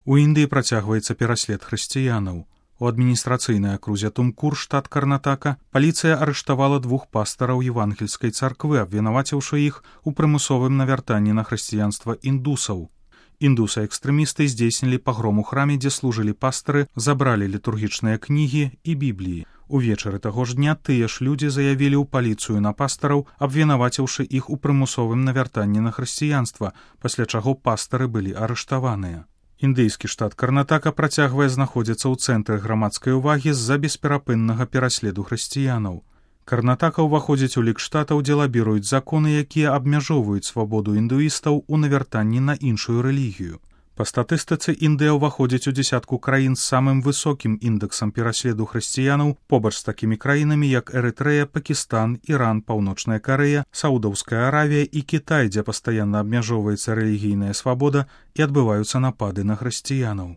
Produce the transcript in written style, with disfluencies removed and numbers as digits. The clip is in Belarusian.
У Індыі працягваецца пераслед хрысціянаў. У адміністрацыйнай акрузе Тумкур, штат Карнатака, паліцыя арыштавала 2 пастараў евангельскай царквы, абвінаваціўшы іх у прымусовым навяртанні на хрысціянства індусаў. Індусы-экстрэмісты здзейснілі пагром у храме, дзе служылі пастары, забралі літургічныя кнігі і бібліі. Увечары таго ж дня тыя ж людзі заявілі ў паліцыю на пастараў, абвінаваціўшы іх у прымусовым навяртанні на хрысціянства, пасля чаго пастары былі арыштаваныя. Індыйскі штат Карнатака працягвае знаходзіцца ў цэнтры грамадскай увагі з-за бесперапыннага пераследу хрысціянаў. Карнатака ўваходзіць у лік штатаў, дзе лабіруюць законы, якія абмяжоўваюць свабоду індуістаў у навяртанні на іншую рэлігію. Па статыстыцы, Індыя ўваходзіць у дзясятку краін з самым высокім індэксам пераследу хрысціянаў, побач з такімі краінамі, як Эрытрэя, Пакістан, Іран, Паўночная Карэя, Саудаўская Аравія і Кітай, дзе пастаянна абмяжоўваецца рэлігійная свабода і адбываюцца напады на хрысціянаў.